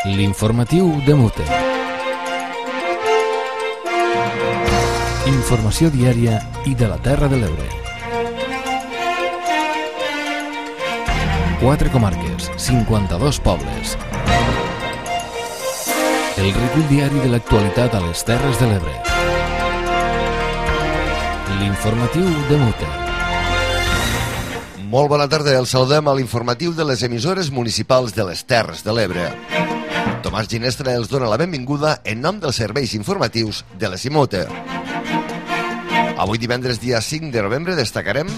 L'informatiu de Mute. Informació diària i de la Terra de l'Ebre. 4 comarques, 52 pobles. El recull diari de l'actualitat a les Terres de l'Ebre. L'informatiu de Mute. Molt bona tarda, els saludem a l'informatiu de les emissores municipals de les Terres de l'Ebre. Tomàs Ginestra els dona la benvinguda en nom dels serveis informatius de les IMUTE. Avui divendres dia 5 de novembre destacarem: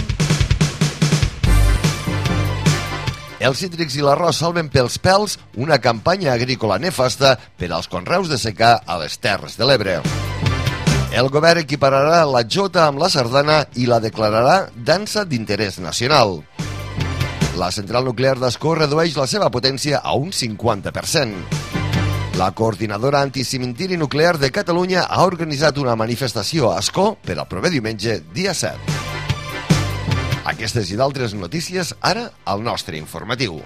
els cítrics i l'arròs salven pels pèls una campanya agrícola nefasta per als conreus de secà a les Terres de l'Ebre. El govern equipararà la jota amb la sardana i la declararà dansa d'interès nacional. La central nuclear d'Ascó redueix la seva potència a un 50%. La coordinadora anticimentiri nuclear de Catalunya ha organitzat una manifestació a Ascó per al proper diumenge, dia 7. Aquestes i d'altres notícies ara al nostre informatiu.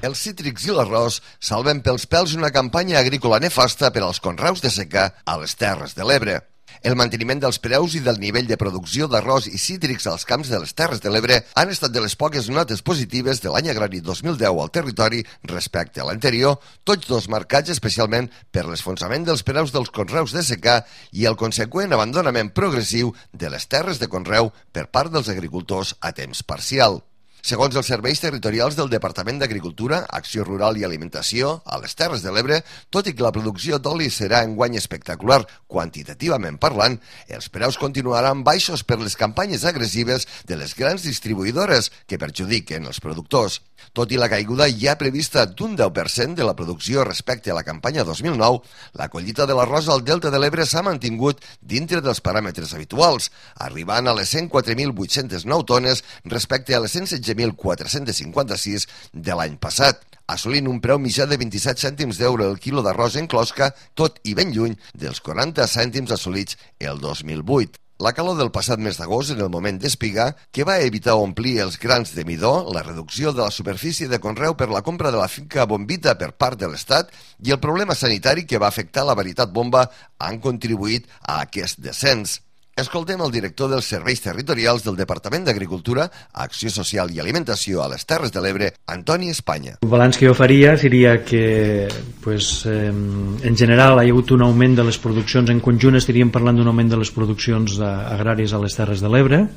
Els cítrics i l'arròs salven pels pèls una campanya agrícola nefasta per als conreus de secà a les Terres de l'Ebre. El manteniment dels preus i del nivell de producció d'arròs i cítrics als camps de les Terres de l'Ebre han estat de les poques notes positives de l'any agrari 2010 al territori respecte a l'anterior, tots dos marcats especialment per l'esfonsament dels preus dels conreus de secà i el conseqüent abandonament progressiu de les terres de conreu per part dels agricultors a temps parcial. Segons els serveis territorials del Departament d'Agricultura, Acció Rural i Alimentació, a les Terres de l'Ebre, tot i que la producció d'oli serà enguany espectacular quantitativament parlant, els preus continuaran baixos per les campanyes agressives de les grans distribuïdores que perjudiquen els productors. Tot i la caiguda ja prevista d'un 10% de la producció respecte a la campanya 2009, la collita de l'arròs al Delta de l'Ebre s'ha mantingut dintre dels paràmetres habituals, arribant a les 104.809 tones respecte a les 116.456 de l'any passat, assolint un preu mitjà de 27 cèntims d'euro el quilo d'arròs en closca, tot i ben lluny dels 40 cèntims assolits el 2008. La calor del passat mes d'agost, en el moment d'espigar, que va evitar omplir els grans de midó, la reducció de la superfície de conreu per la compra de la finca Bombita per part de l'Estat i el problema sanitari que va afectar la varietat bomba han contribuït a aquest descens. Escoltem el director dels serveis territorials del Departament d'Agricultura, Acció Social i Alimentació a les Terres de l'Ebre, Antoni Espanya. El balanç que jo faria seria que en general hi ha hagut un augment de les produccions en conjunt, estaríem parlant d'un augment de les produccions agràries a les Terres de l'Ebre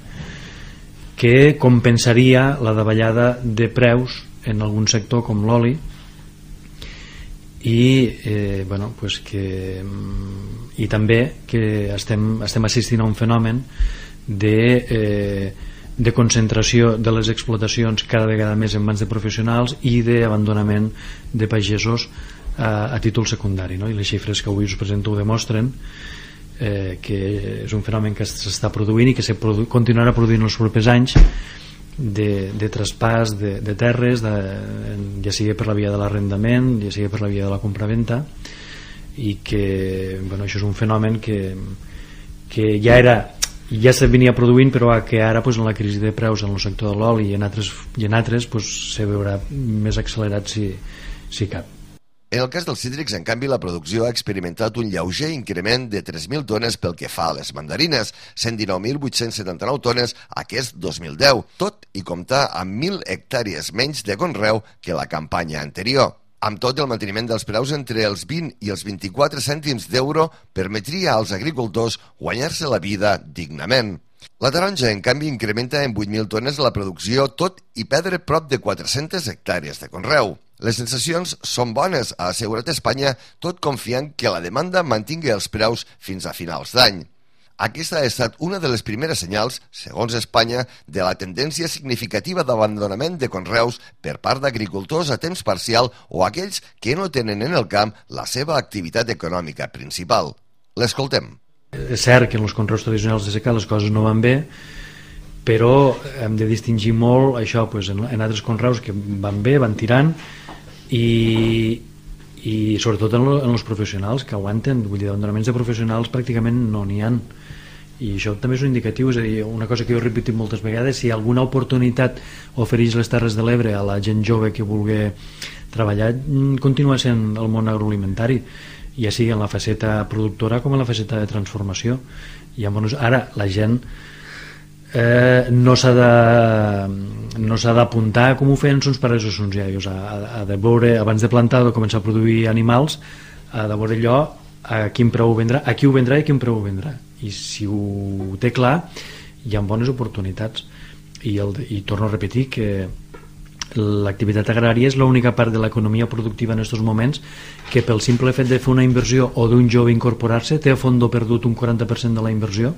que compensaria la davallada de preus en algun sector com l'oli i també que estem assistint a un fenomen de concentració de les explotacions cada vegada més en mans de professionals i d'abandonament de pagesos a títol secundari, no? I les xifres que avui us presento ho demostren, que és un fenomen que s'està produint i que continuarà produint els propers anys de traspàs de terres, ja sigui per la via de l'arrendament, ja sigui per la via de la compraventa, i que això és un fenomen que ja se venia produint, però que ara en la crisi de preus en el sector de l'oli i en altres se veurà més accelerat si cap. En el cas dels cítrics, en canvi, la producció ha experimentat un lleuger increment de 3.000 tones pel que fa a les mandarines, 119.879 tones aquest 2010, tot i comptar amb 1.000 hectàrees menys de conreu que la campanya anterior. Amb tot, el manteniment dels preus entre els 20 i els 24 cèntims d'euro permetria als agricultors guanyar-se la vida dignament. La taronja, en canvi, incrementa en 8.000 tones la producció, tot i perdre prop de 400 hectàrees de conreu. Les sensacions són bones, ha assegurat Espanya, tot confiant que la demanda mantingui els preus fins a finals d'any. Aquesta ha estat una de les primeres senyals, segons Espanya, de la tendència significativa d'abandonament de conreus per part d'agricultors a temps parcial o aquells que no tenen en el camp la seva activitat econòmica principal. L'escoltem. És cert que en els conreus tradicionals de secà les coses no van bé, però hem de distingir molt això en altres conreus que van bé, van tirant, i sobretot en els professionals que aguanten, vull dir, d'abandonaments de professionals pràcticament no n'hi ha, i això també és un indicatiu, és a dir, una cosa que jo he repetit moltes vegades: si alguna oportunitat ofereix les Terres de l'Ebre a la gent jove que vulgui treballar, continua sent el món agroalimentari, ja sigui en la faceta productora com en la faceta de transformació. I llavors ara la gent no s'ha d'apuntar com ho feien els pares o els iaios, ha de veure, abans de plantar, de començar a produir animals, ha de veure allò, a quin preu ho vendrà, a qui ho vendrà i a quin preu ho vendrà, i si ho té clar hi ha bones oportunitats. I torno a repetir que l'activitat agrària és l'única part de l'economia productiva en aquests moments que pel simple fet de fer una inversió o d'un jove incorporar-se té a fondo perdut un 40% de la inversió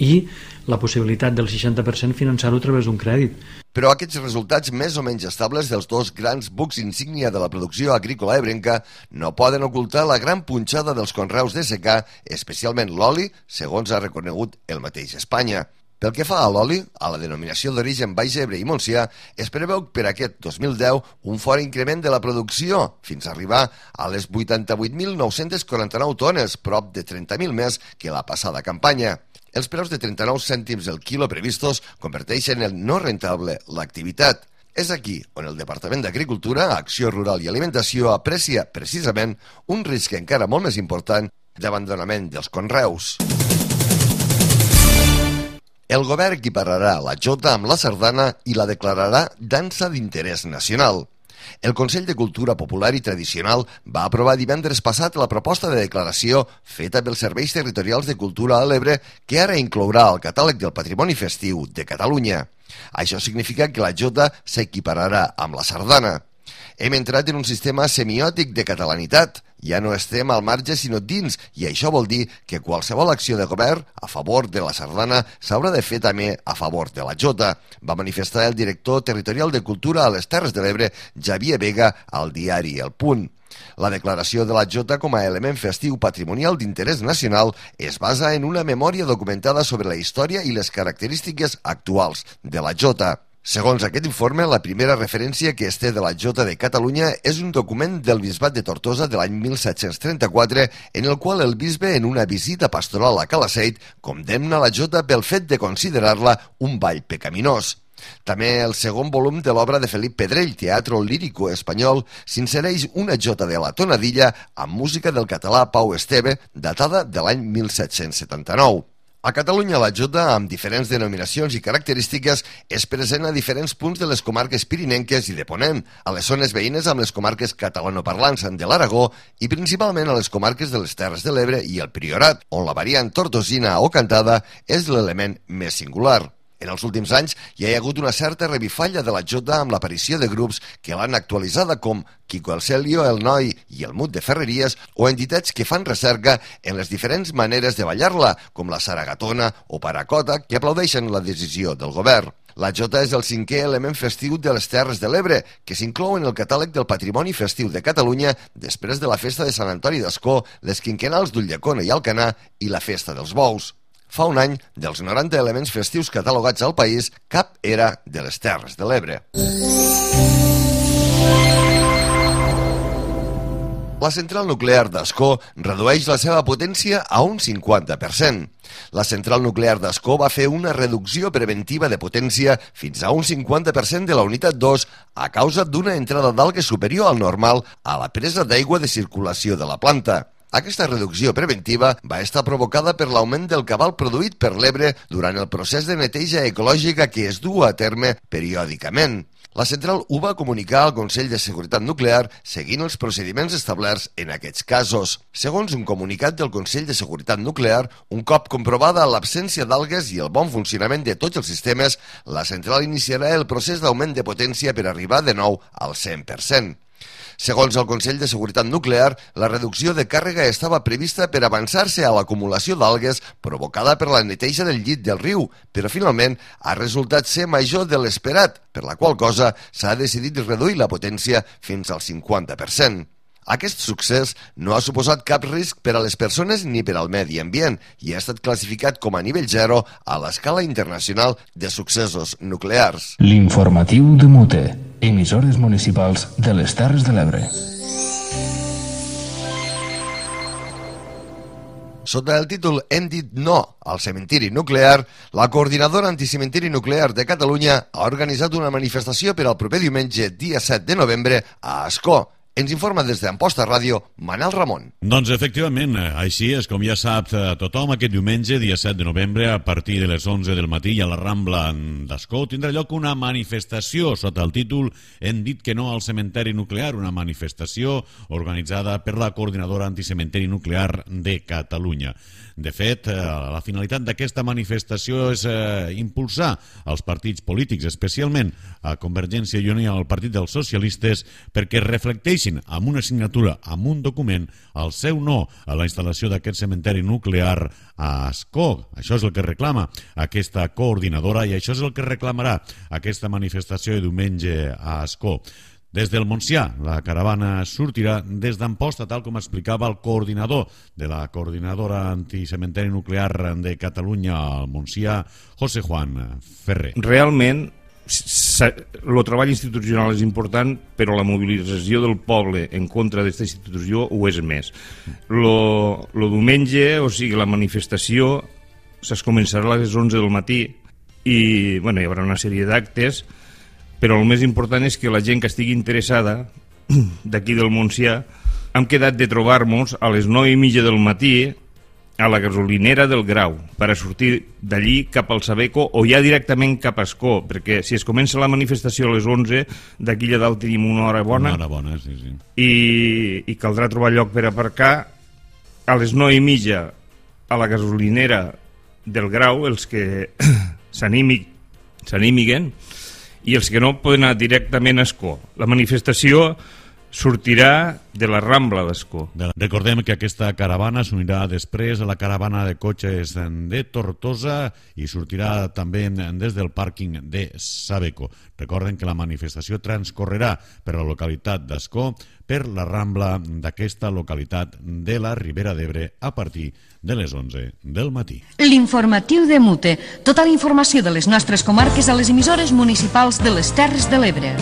i la possibilitat del 60% finançar-ho a través d'un crèdit. Però aquests resultats més o menys estables dels dos grans bucs insígnia de la producció agrícola ebrenca no poden ocultar la gran punxada dels conreus de secà, especialment l'oli, segons ha reconegut el mateix Espanya. Pel que fa a l'oli, a la denominació d'origen Baix Ebre i Montsià, es preveu per aquest 2010 un fort increment de la producció, fins a arribar a les 88.949 tones, prop de 30.000 més que la passada campanya. Els preus de 39 cèntims el quilo previstos converteixen en no rentable l'activitat. És aquí on el Departament d'Agricultura, Acció Rural i Alimentació aprecia, precisament, un risc encara molt més important d'abandonament dels conreus. El govern equipararà la jota amb la sardana i la declararà dansa d'interès nacional. El Consell de Cultura Popular i Tradicional va aprovar divendres passat la proposta de declaració feta pels Serveis Territorials de Cultura a l'Ebre que ara inclourà al catàleg del Patrimoni Festiu de Catalunya. Això significa que la jota s'equipararà amb la sardana. Hem entrat en un sistema semiòtic de catalanitat. Ja no estem al marge sinó dins, i això vol dir que qualsevol acció de govern a favor de la sardana s'haurà de fer també a favor de la jota, va manifestar el director territorial de Cultura a les Terres de l'Ebre, Xavier Vega, al diari El Punt. La declaració de la jota com a element festiu patrimonial d'interès nacional es basa en una memòria documentada sobre la història i les característiques actuals de la jota. Segons aquest informe, la primera referència que es té de la jota de Catalunya és un document del bisbat de Tortosa de l'any 1734, en el qual el bisbe, en una visita pastoral a Calaceit, condemna la jota pel fet de considerar-la un ball pecaminós. També el segon volum de l'obra de Felip Pedrell, Teatro Lírico Espanyol, s'insereix una jota de la tonadilla amb música del català Pau Esteve, datada de l'any 1779. A Catalunya la jota, amb diferents denominacions i característiques, és present a diferents punts de les comarques pirinenques i de Ponent, a les zones veïnes amb les comarques catalanoparlants de l'Aragó i principalment a les comarques de les Terres de l'Ebre i el Priorat, on la variant tortosina o cantada és l'element més singular. En els últims anys hi ha hagut una certa revifalla de la jota amb l'aparició de grups que l'han actualitzada com Quico el Celio, el Noi i el Mut de Ferreries o entitats que fan recerca en les diferents maneres de ballar-la, com la Saragatona o Paracota, que aplaudeixen la decisió del govern. La jota és el cinquè element festiu de les Terres de l'Ebre, que s'inclou en el catàleg del Patrimoni Festiu de Catalunya després de la festa de Sant Antoni d'Ascó, les quinquenals d'Ulldecona i Alcanar i la festa dels bous. Fa un any, dels 90 elements festius catalogats al país, cap era de les Terres de l'Ebre. La central nuclear d'Ascó redueix la seva potència a un 50%. La central nuclear d'Ascó va fer una reducció preventiva de potència fins a un 50% de la unitat 2 a causa d'una entrada d'algues superior al normal a la presa d'aigua de circulació de la planta. Aquesta reducció preventiva va estar provocada per l'augment del cabal produït per l'Ebre durant el procés de neteja ecològica que es du a terme periòdicament. La central ho va comunicar al Consell de Seguretat Nuclear seguint els procediments establerts en aquests casos. Segons un comunicat del Consell de Seguretat Nuclear, un cop comprovada l'absència d'algues i el bon funcionament de tots els sistemes, la central iniciarà el procés d'augment de potència per arribar de nou al 100%. Segons el Consell de Seguretat Nuclear, la reducció de càrrega estava prevista per avançar-se a l'acumulació d'algues provocada per la neteja del llit del riu, però finalment ha resultat ser major de l'esperat, per la qual cosa s'ha decidit reduir la potència fins al 50%. Aquest succés no ha suposat cap risc per a les persones ni per al medi ambient i ha estat classificat com a nivell 0 a l'escala internacional de successos nuclears. L'informatiu de Mute, emissores municipals de les Terres de l'Ebre. Sota el títol Hem dit no al cementiri nuclear, la Coordinadora Anticementiri Nuclear de Catalunya ha organitzat una manifestació per al proper diumenge, dia 7 de novembre, a Ascó. Ens informa des d'Amposta Ràdio, Manel Ramon. Doncs efectivament, així és com ja sap tothom, aquest diumenge, dia 7 de novembre, a partir de les 11 del matí a la Rambla d'Ascó, tindrà lloc una manifestació sota el títol Hem dit que no al cementeri nuclear, una manifestació organitzada per la Coordinadora Anticementeri Nuclear de Catalunya. De fet, la finalitat d'aquesta manifestació és impulsar els partits polítics, especialment a Convergència i Unió i al Partit dels Socialistes, perquè reflecteixin amb una signatura, amb un document, el seu no a la instal·lació d'aquest cementeri nuclear a Ascó. Això és el que reclama aquesta coordinadora i això és el que reclamarà aquesta manifestació de diumenge a Ascó. Des del Montsià, la caravana sortirà des d'Amposta, tal com explicava el coordinador de la Coordinadora Anticementeri Nuclear de Catalunya al Montsià, José Juan Ferrer. Realment, el treball institucional és important, però la mobilització del poble en contra d'aquesta institució ho és més. El diumenge, o sigui, la manifestació es començarà a les 11 del matí i hi haurà una sèrie d'actes, però el més important és que la gent que estigui interessada d'aquí del Montsià hem quedat de trobar-nos a les 9:30 del matí a la gasolinera del Grau per a sortir d'allí cap al Sabeco o ja directament cap a Ascó, perquè si es comença la manifestació a les 11, d'aquí allà dalt tenim una hora bona, sí. I caldrà trobar lloc per aparcar a les 9:30 a la gasolinera del Grau, els que s'animiguen, i els que no poden anar directament a Ascó. La manifestació sortirà de la Rambla d'Ascó. Recordem que aquesta caravana s'unirà després a la caravana de cotxes de Tortosa i sortirà també des del pàrquing de Sabeco. Recorden que la manifestació transcorrerà per la localitat d'Ascó, per la Rambla d'aquesta localitat de la Ribera d'Ebre a partir de les 11 del matí. L'informatiu de Mute. Tota la informació de les nostres comarques a les emissores municipals de les Terres de l'Ebre.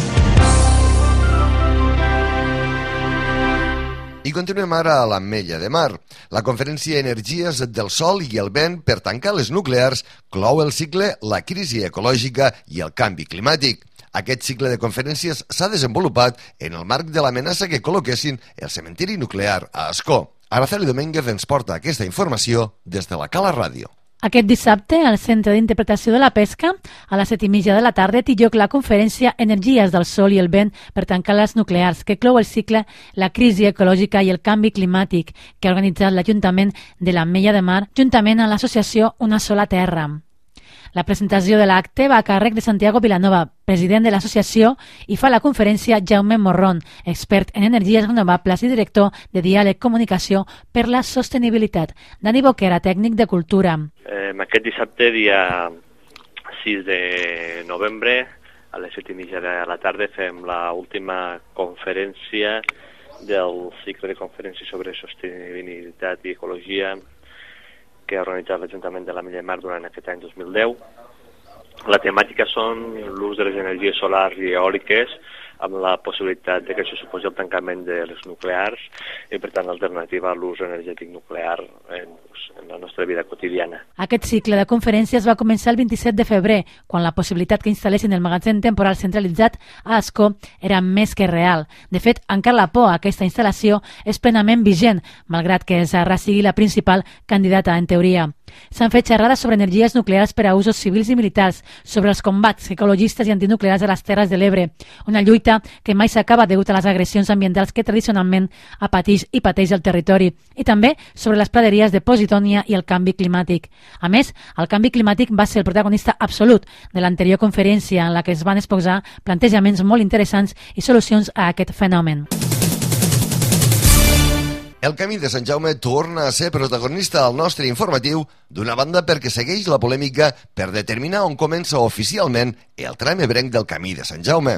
I continuem ara a l'Ametlla de Mar. La conferència Energies del Sol i el Vent per tancar les nuclears clou el cicle La crisi ecològica i el canvi climàtic. Aquest cicle de conferències s'ha desenvolupat en el marc de l'amenaça que col·loquessin el cementiri nuclear a Ascó. Araceli Domínguez ens porta aquesta informació des de la Cala Ràdio. Aquest dissabte, al Centre d'Interpretació de la Pesca, a les 7:30 de la tarda, té lloc la conferència Energies del Sol i el Vent per tancar les nuclears, que clou el cicle La crisi ecològica i el canvi climàtic, que ha organitzat l'Ajuntament de l'Ametlla de Mar, juntament amb l'associació Una sola terra. La presentació de l'acte va a càrrec de Santiago Vilanova, president de l'associació, i fa la conferència Jaume Morrón, expert en energies renovables i director de Diàleg Comunicació per la Sostenibilitat. Dani Boquera, tècnic de Cultura. Aquest dissabte, dia 6 de novembre, a les 7:30 de la tarda, fem l'última conferència del cicle de conferències sobre sostenibilitat i ecologia que ha organitzat l'Ajuntament de l'Ametlla de Mar durant aquest any 2010. La temàtica són l'ús de les energies solars i eòliques, amb la possibilitat de que això suposi el tancament de les nuclears i, per tant, l'alternativa a l'ús energètic nuclear en la nostra vida quotidiana. Aquest cicle de conferències va començar el 27 de febrer, quan la possibilitat que instal·lessin el magatzem temporal centralitzat a Ascó era més que real. De fet, encara la por a aquesta instal·lació és plenament vigent, malgrat que Sarra sigui la principal candidata en teoria. S'han fet xerrades sobre energies nuclears per a usos civils i militars, sobre els combats ecologistes i antinuclears a les Terres de l'Ebre, una lluita que mai s'acaba degut a les agressions ambientals que tradicionalment pateix el territori, i també sobre les praderies de Positònia i el canvi climàtic. A més, el canvi climàtic va ser el protagonista absolut de l'anterior conferència, en la que es van exposar plantejaments molt interessants i solucions a aquest fenomen. El Camí de Sant Jaume torna a ser protagonista al nostre informatiu, d'una banda perquè segueix la polèmica per determinar on comença oficialment el tram ebrenc del Camí de Sant Jaume.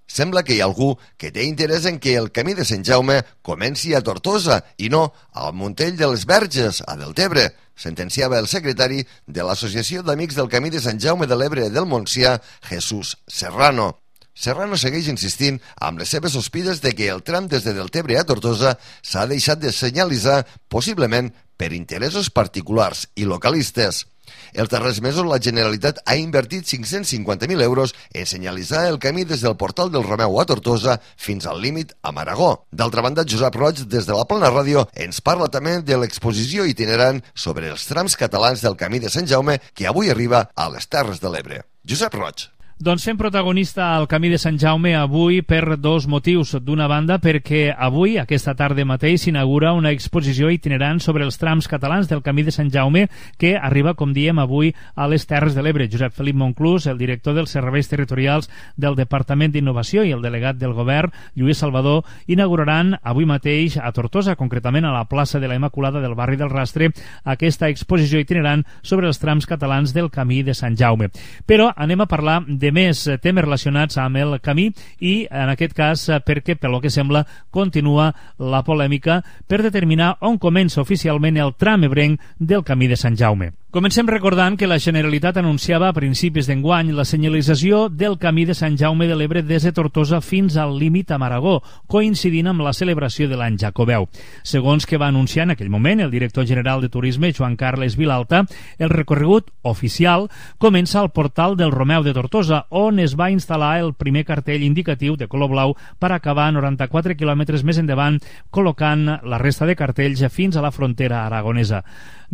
Sembla que hi ha algú que té interès en que el Camí de Sant Jaume comenci a Tortosa i no al Montell de les Verges, a Deltebre, sentenciava el secretari de l'Associació d'Amics del Camí de Sant Jaume de l'Ebre del Montsià, Jesús Serrano. Serrano segueix insistint amb les seves sospites de que el tram des de Deltebre a Tortosa s'ha deixat de senyalitzar, possiblement per interessos particulars i localistes. Els darrers mesos la Generalitat ha invertit 550.000 euros en senyalitzar el camí des del portal del Romeu a Tortosa fins al límit amb Aragó. D'altra banda, Josep Roig, des de la Plana Ràdio, ens parla també de l'exposició itinerant sobre els trams catalans del Camí de Sant Jaume que avui arriba a les Terres de l'Ebre. Josep Roig. Doncs fem protagonista al Camí de Sant Jaume avui per dos motius. D'una banda, perquè avui, aquesta tarda mateix, s'inaugura una exposició itinerant sobre els trams catalans del Camí de Sant Jaume que arriba, com diem, avui a les Terres de l'Ebre. Josep Felip Monclús, el director dels serveis territorials del Departament d'Innovació i el delegat del Govern, Lluís Salvador, inauguraran avui mateix a Tortosa, concretament a la plaça de la Immaculada del barri del Rastre, aquesta exposició itinerant sobre els trams catalans del Camí de Sant Jaume. Però anem a parlar de més temes relacionats amb el camí i, en aquest cas, perquè, pel que sembla, continua la polèmica per determinar on comença oficialment el tram ebrenc del Camí de Sant Jaume. Comencem recordant que la Generalitat anunciava a principis d'enguany la senyalització del Camí de Sant Jaume de l'Ebre des de Tortosa fins al límit amb Aragó, coincidint amb la celebració de l'any Jacobeu. Segons que va anunciar en aquell moment el director general de Turisme, Joan Carles Vilalta, el recorregut oficial comença al portal del Romeu de Tortosa, on es va instal·lar el primer cartell indicatiu de color blau per acabar 94 quilòmetres més endavant, col·locant la resta de cartells fins a la frontera aragonesa.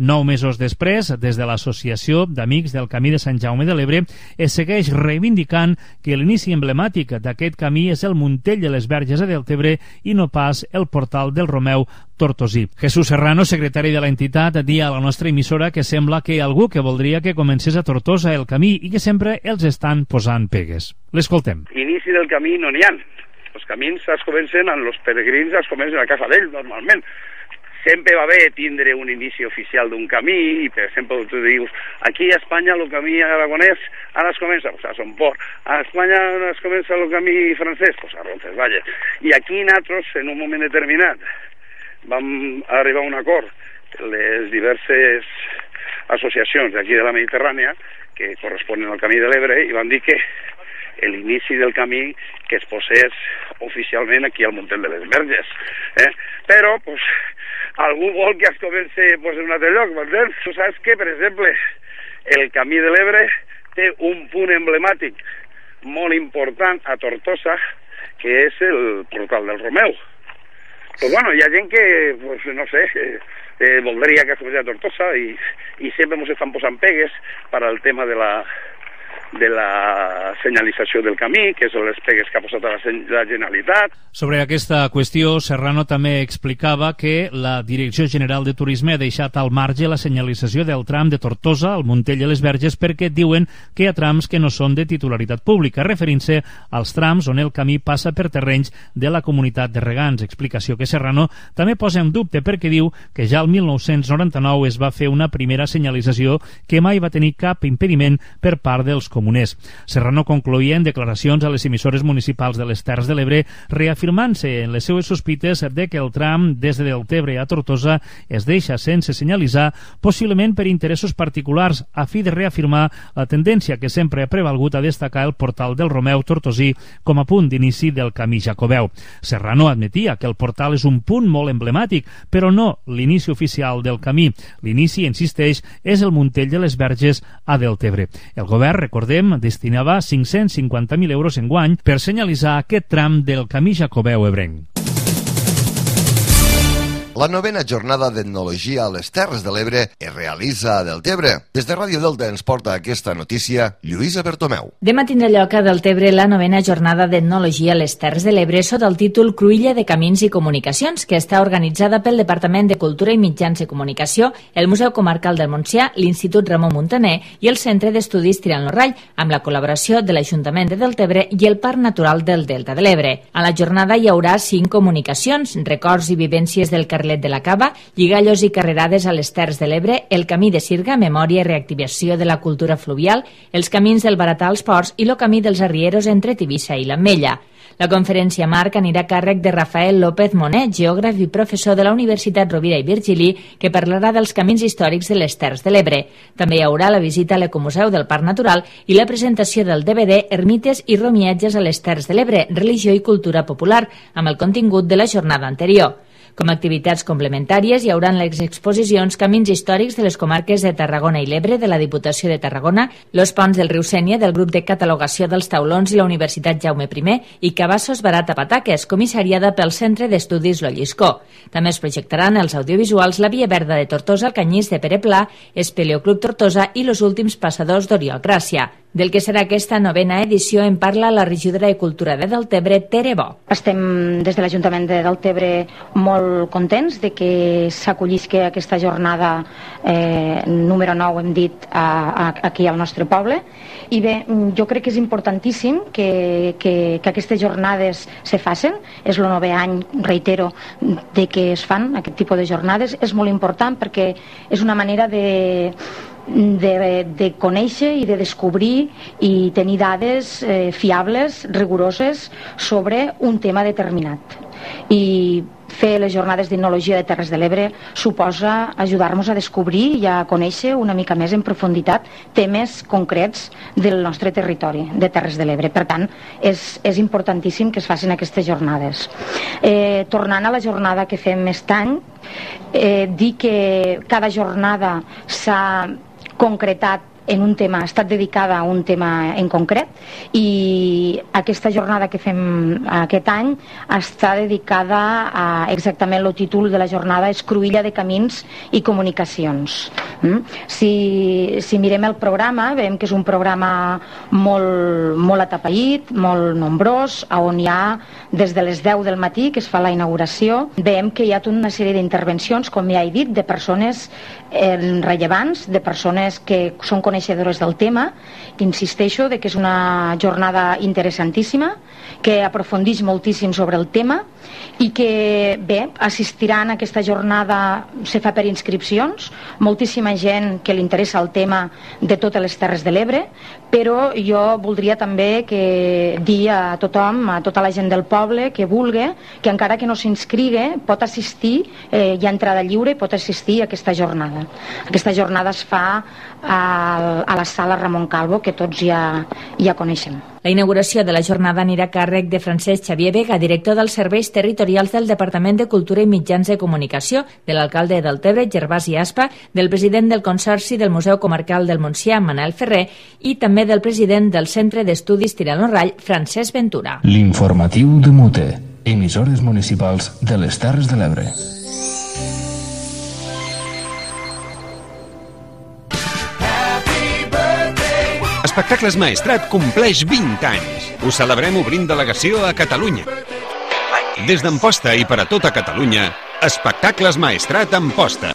9 mesos després, des de l'Associació d'Amics del Camí de Sant Jaume de l'Ebre, es segueix reivindicant que l'inici emblemàtic d'aquest camí és el Muntell de les Verges a Deltebre i no pas el portal del Romeu tortosí. Jesús Serrano, secretari de l'entitat, dia a la nostra emissora que sembla que hi ha algú que voldria que comencés a Tortosa el camí i que sempre els estan posant pegues. L'escoltem. Inici del camí no n'hi ha. Els camins es comencen, els peregrins es comencen a casa d'ells, normalment. Sempre va bé tindre un inici oficial d'un camí i, per exemple, tu dius, aquí a Espanya el camí aragonès ara es comença pues, a Son Port, a Espanya es comença el camí francès, pues, a Roncesvalles. I aquí nosaltres, en un moment determinat, vam arribar a un acord les diverses associacions d'aquí de la Mediterrània que corresponen al Camí de l'Ebre i van dir que l'inici del camí que es posés oficialment aquí al Muntell de les Verges. Però, pues, algú vol que es comenci pues, en un altre lloc, m'entens? Tu saps que, per exemple, el Camí de l'Ebre té un punt emblemàtic molt important a Tortosa, que és el portal del Romeu. Pues bueno, hi ha gent que, pues, no sé, voldria que es comenci a Tortosa i sempre ens estan posant pegues per al tema de la senyalització del camí, que són les pegues que ha posat la Generalitat. Sobre aquesta qüestió, Serrano també explicava que la Direcció General de Turisme ha deixat al marge la senyalització del tram de Tortosa al Muntell de les Verges perquè diuen que hi ha trams que no són de titularitat pública, referint-se als trams on el camí passa per terrenys de la comunitat de regants, explicació que Serrano també posa en dubte perquè diu que ja el 1999 es va fer una primera senyalització que mai va tenir cap impediment per part dels comuners. Serrano concloïa en declaracions a les emissores municipals de les Terres de l'Ebre reafirmant-se en les seues sospites de que el tram des de Deltebre a Tortosa es deixa sense senyalitzar, possiblement per interessos particulars, a fi de reafirmar la tendència que sempre ha prevalgut a destacar el portal del Romeu tortosí com a punt d'inici del camí jacobeu. Serrano admetia que el portal és un punt molt emblemàtic, però no l'inici oficial del camí. L'inici, insisteix, és el Muntell de les Verges a Deltebre. El govern, recordem, destinava 550.000 euros enguany per senyalitzar aquest tram del camí jacobeu ebrenc. La 9ª jornada d'etnologia a les Terres de l'Ebre es realitza a Deltebre. Des de Ràdio Delta ens porta aquesta notícia Lluïsa Bertomeu. Demà tindrà lloc a Deltebre la 9ª jornada d'etnologia a les Terres de l'Ebre sota el títol Cruïlla de Camins i Comunicacions, que està organitzada pel Departament de Cultura i Mitjans de Comunicació, el Museu Comarcal del Montsià, l'Institut Ramon Muntaner i el Centre d'Estudis Tirant-lo-Rall, amb la col·laboració de l'Ajuntament de Deltebre i el Parc Natural del Delta de l'Ebre. A la jornada hi haurà 5 comunicacions, records i vivències del Carlet de la Cava, lligallos i carrerades a les Terres de l'Ebre, el Camí de Sirga, memòria i reactivació de la cultura fluvial, els camins del Baratà als Ports i el Camí dels Arrieros entre Tivissa i l'Ametlla. La conferència marc anirà a càrrec de Rafael López Monet, geògraf i professor de la Universitat Rovira i Virgili, que parlarà dels camins històrics de les Terres de l'Ebre. També hi haurà la visita a l'Ecomuseu del Parc Natural i la presentació del DVD Ermites i romiatges a les Terres de l'Ebre, religió i cultura popular, amb el contingut de la jornada anterior. Com a activitats complementàries hi haurà les exposicions Camins històrics de les comarques de Tarragona i l'Ebre de la Diputació de Tarragona, los ponts del riu Sénia del grup de catalogació dels taulons i la Universitat Jaume I i Cabassos Barata Pataques, comissariada pel Centre d'Estudis Lo Lliscó. També es projectaran els audiovisuals La Via Verda de Tortosa, el Canyís de Pere Pla, Espeleoclub Tortosa i los últims passadors d'Oriol Gràcia. Del que serà aquesta 9a edició en parla la regidora de Cultura de Deltebre, Tere Bo. Estem des de l'Ajuntament de Deltebre molt contents de que s'acollisca aquesta jornada número 9, hem dit, aquí al nostre poble. I bé, jo crec que és importantíssim que aquestes jornades se facin. És el 9è any, reitero, de que es fan aquest tipus de jornades. És molt important perquè és una manera de conèixer i de descobrir i tenir dades fiables, rigoroses sobre un tema determinat. I fer les jornades d'etnologia de Terres de l'Ebre suposa ajudar-nos a descobrir i a conèixer una mica més en profunditat temes concrets del nostre territori, de Terres de l'Ebre. Per tant, és importantíssim que es facin aquestes jornades. Tornant a la jornada que fem aquest any, dir que cada jornada s'ha concretat en un tema, ha estat dedicada a un tema en concret, i aquesta jornada que fem aquest any està dedicada a exactament el títol de la jornada és Cruïlla de Camins i Comunicacions. Si mirem el programa, veiem que és un programa molt atapeït, molt nombrós, on hi ha des de les 10 del matí que es fa la inauguració, veiem que hi ha tota una sèrie d'intervencions, com ja he dit, de persones rellevants, de persones que són coneixedores del tema. Insisteixo que és una jornada interessantíssima, que aprofundeix moltíssim sobre el tema i que, bé, assistiran a aquesta jornada, se fa per inscripcions, moltíssima gent que li interessa el tema de totes les Terres de l'Ebre, però jo voldria també dir a tothom, a tota la gent del poble que vulgui, que encara que no s'inscrigui pot assistir, hi ha entrada lliure i pot assistir a aquesta jornada. Aquesta jornada es fa a la sala Ramon Calvo, que tots ja coneixem. La inauguració de la jornada anirà a càrrec de Francesc Xavier Vega, director dels Serveis Territorials del Departament de Cultura i Mitjans de Comunicació, de l'alcalde de Deltebre, Gervasi Aspa, del president del Consorci del Museu Comarcal del Montsià, Manel Ferrer, i també del president del Centre d'Estudis Tirant lo Rall, Francesc Ventura. L'informatiu de Mute, emissores municipals de les Terres de l'Ebre. Espectacles Maestrat compleix 20 anys. Ho celebrem obrint delegació a Catalunya. Des d'Amposta i per a tota Catalunya, Espectacles Maestrat Amposta.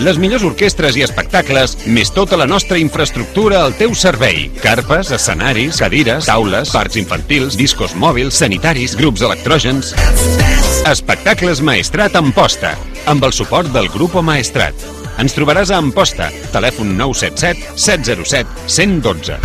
Les millors orquestres i espectacles, més tota la nostra infraestructura al teu servei. Carpes, escenaris, cadires, taules, parcs infantils, discos mòbils, sanitaris, grups electrògens. Espectacles Maestrat Amposta, amb el suport del Grupo Maestrat. Ens trobaràs a Amposta, telèfon 977 707 112.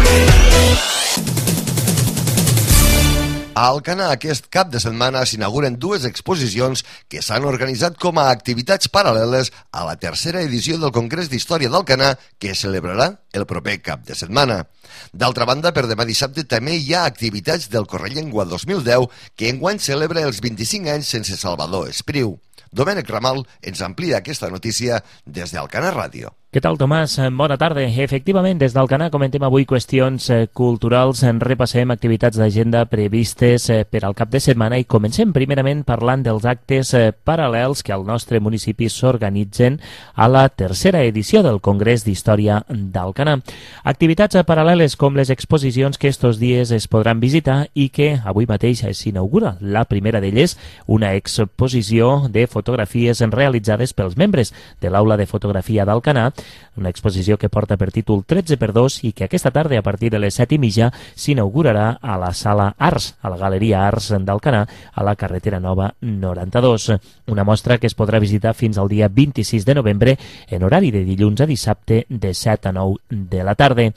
A Alcanar aquest cap de setmana s'inauguren dues exposicions que s'han organitzat com a activitats paral·leles a la tercera edició del Congrés d'Història d'Alcanar, que es celebrarà el proper cap de setmana. D'altra banda, per demà dissabte també hi ha activitats del Correllengua 2010, que enguany celebra els 25 anys sense Salvador Espriu. Domènec Ramal ens amplia aquesta notícia des d'Alcanar Ràdio. Què tal, Tomàs? Bona tarda. Efectivament, des d'Alcanar comentem avui qüestions culturals, repassem activitats d'agenda previstes per al cap de setmana i comencem primerament parlant dels actes paral·lels que al nostre municipi s'organitzen a la tercera edició del Congrés d'Història d'Alcanar. Activitats paral·leles com les exposicions que estos dies es podran visitar i que avui mateix s'inaugura. La primera d'elles, una exposició de fotografies realitzades pels membres de l'Aula de Fotografia d'Alcanar, una exposició que porta per títol 13x2 i que aquesta tarda a partir de les 7:30 s'inaugurarà a la Sala Arts, a la Galeria Arts d'Alcanar, a la carretera Nova 92. Una mostra que es podrà visitar fins al dia 26 de novembre en horari de dilluns a dissabte de 7 a 9 de la tarda.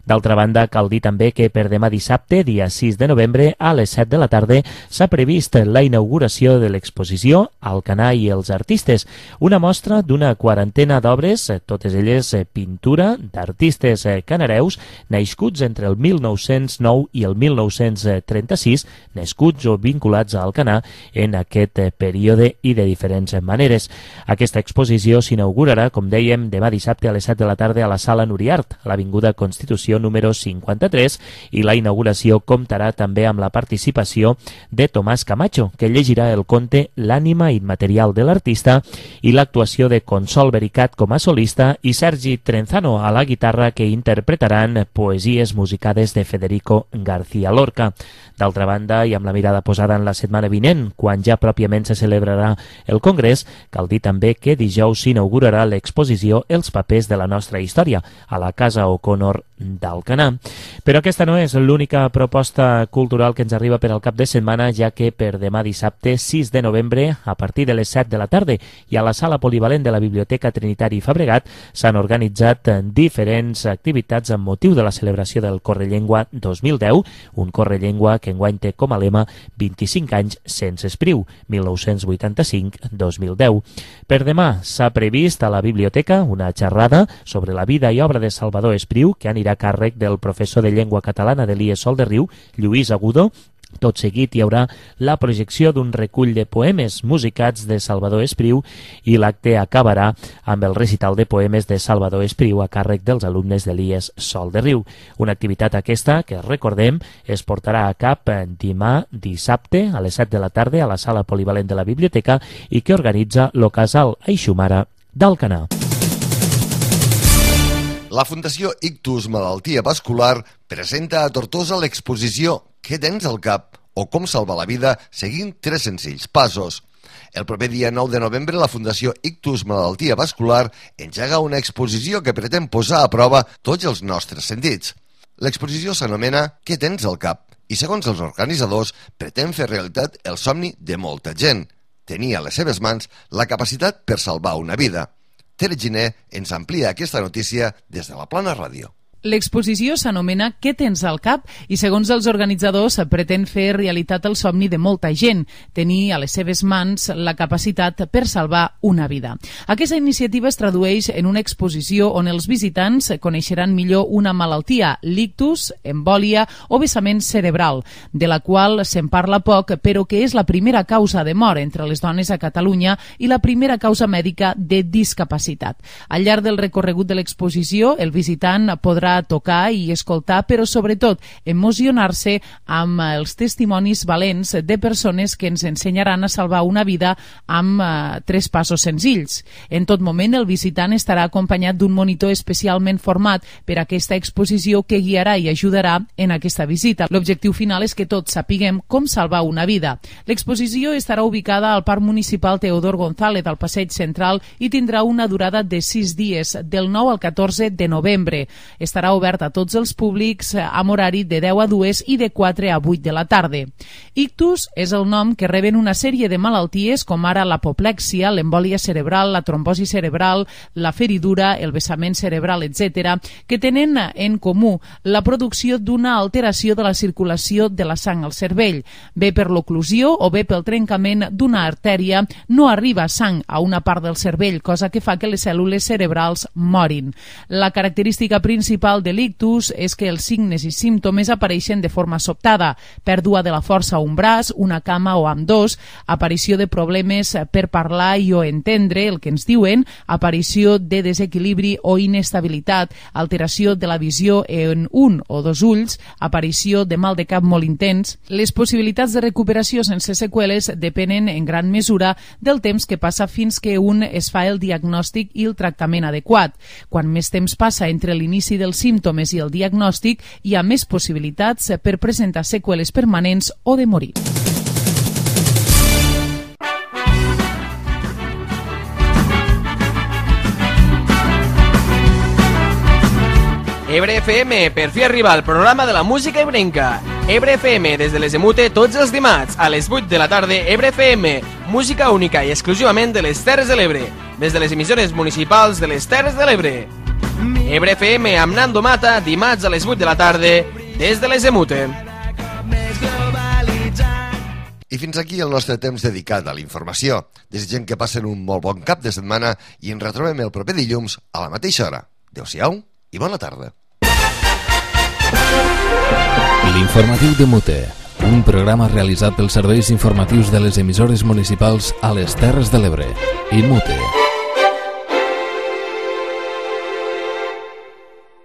D'altra banda, cal dir també que per demà dissabte, dia 6 de novembre, a les 7 de la tarda, s'ha previst la inauguració de l'exposició Alcanar i els artistes, una mostra d'una quarantena d'obres, totes elles pintura d'artistes canareus nascuts entre el 1909 i el 1936, nascuts o vinculats a Alcanar en aquest període i de diferents maneres. Aquesta exposició s'inaugurarà, com dèiem, demà dissabte a les 7 de la tarda a la Sala Nuriart, a l'Avinguda Constitució número 53, i la inauguració comptarà també amb la participació de Tomàs Camacho, que llegirà el conte L'ànima immaterial de l'artista, i l'actuació de Consol Vericat com a solista i Sergi Trenzano a la guitarra, que interpretaran poesies musicades de Federico García Lorca. D'altra banda, i amb la mirada posada en la setmana vinent, quan ja pròpiament se celebrarà el Congrés, cal dir també que dijous s'inaugurarà l'exposició Els papers de la nostra història, a la Casa O'Connor d'Alcanar. Però aquesta no és l'única proposta cultural que ens arriba per al cap de setmana, ja que per demà dissabte 6 de novembre, a partir de les 7 de la tarda, i a la Sala Polivalent de la Biblioteca Trinitari Fabregat, s'han organitzat diferents activitats amb motiu de la celebració del Correllengua 2010, un Correllengua que enguany té com a lema 25 anys sense espriu, 1985-2010. Per demà s'ha previst a la biblioteca una xerrada sobre la vida i obra de Salvador Espriu, que anirà a càrrec del professor de llengua catalana de l'IES Sol de Riu, Lluís Agudo. Tot seguit hi haurà la projecció d'un recull de poemes musicats de Salvador Espriu i l'acte acabarà amb el recital de poemes de Salvador Espriu a càrrec dels alumnes de l'IES Sol de Riu. Una activitat aquesta que, recordem, es portarà a cap demà dissabte a les 7 de la tarda a la Sala Polivalent de la Biblioteca i que organitza lo Casal Aixumara d'Alcanar. La Fundació Ictus Malaltia Vascular presenta a Tortosa l'exposició Què tens al cap? O com salvar la vida seguint 3 senzills passos. El proper dia 9 de novembre la Fundació Ictus Malaltia Vascular engega una exposició que pretén posar a prova tots els nostres sentits. L'exposició s'anomena Què tens al cap? I segons els organitzadors pretén fer realitat el somni de molta gent, tenir a les seves mans la capacitat per salvar una vida. Tere Giner ens amplia aquesta notícia des de la Plana Ràdio. L'exposició s'anomena Què tens al cap? I segons els organitzadors pretén fer realitat el somni de molta gent, tenir a les seves mans la capacitat per salvar una vida. Aquesta iniciativa es tradueix en una exposició on els visitants coneixeran millor una malaltia, l'ictus, embòlia o vessament cerebral, de la qual se'n parla poc, però que és la primera causa de mort entre les dones a Catalunya i la primera causa mèdica de discapacitat. Al llarg del recorregut de l'exposició, el visitant podrà tocar i escoltar, però sobretot emocionar-se amb els testimonis valents de persones que ens ensenyaran a salvar una vida amb 3 passos senzills. En tot moment el visitant estarà acompanyat d'un monitor especialment format per aquesta exposició que guiarà i ajudarà en aquesta visita. L'objectiu final és que tots sapiguem com salvar una vida. L'exposició estarà ubicada al Parc Municipal Teodor González al Passeig Central i tindrà una durada de 6 dies, del 9 al 14 de novembre. Estarà obert a tots els públics amb horari de 10 a 2 i de 4 a 8 de la tarda. Ictus és el nom que reben una sèrie de malalties com ara l'apoplexia, l'embòlia cerebral, la trombosi cerebral, la feridura, el vessament cerebral, etc., que tenen en comú la producció d'una alteració de la circulació de la sang al cervell. Bé per l'oclusió o bé pel trencament d'una artèria no arriba sang a una part del cervell, cosa que fa que les cèl·lules cerebrals morin. La característica principal de l'ictus és que els signes i símptomes apareixen de forma sobtada: pèrdua de la força a un braç, una cama o ambdós, aparició de problemes per parlar i o entendre el que ens diuen, aparició de desequilibri o inestabilitat, alteració de la visió en un o 2 ulls, aparició de mal de cap molt intens. Les possibilitats de recuperació sense seqüeles depenen en gran mesura del temps que passa fins que un es fa el diagnòstic i el tractament adequat. Quan més temps passa entre l'inici dels símptomes i el diagnòstic, hi ha més possibilitats per presentar seqüeles permanents o de morir. Ebre FM, per fi arriba al programa de la música ebrenca. Ebre FM, des de les Emute, tots els dimarts, a les 8 de la tarda, Ebre FM, música única i exclusivament de les Terres de l'Ebre, des de les emissores municipals de les Terres de l'Ebre. Ebre FM amb Nando Mata, dimarts a les 8 de la tarda, des de les Emute. I fins aquí el nostre temps dedicat a la informació. Desitgem que passen un molt bon cap de setmana i ens retrobem el proper dilluns a la mateixa hora. Adéu-siau i bona tarda. L'informatiu de Mute, un programa realitzat pels serveis informatius de les emissores municipals a les Terres de l'Ebre i Mute.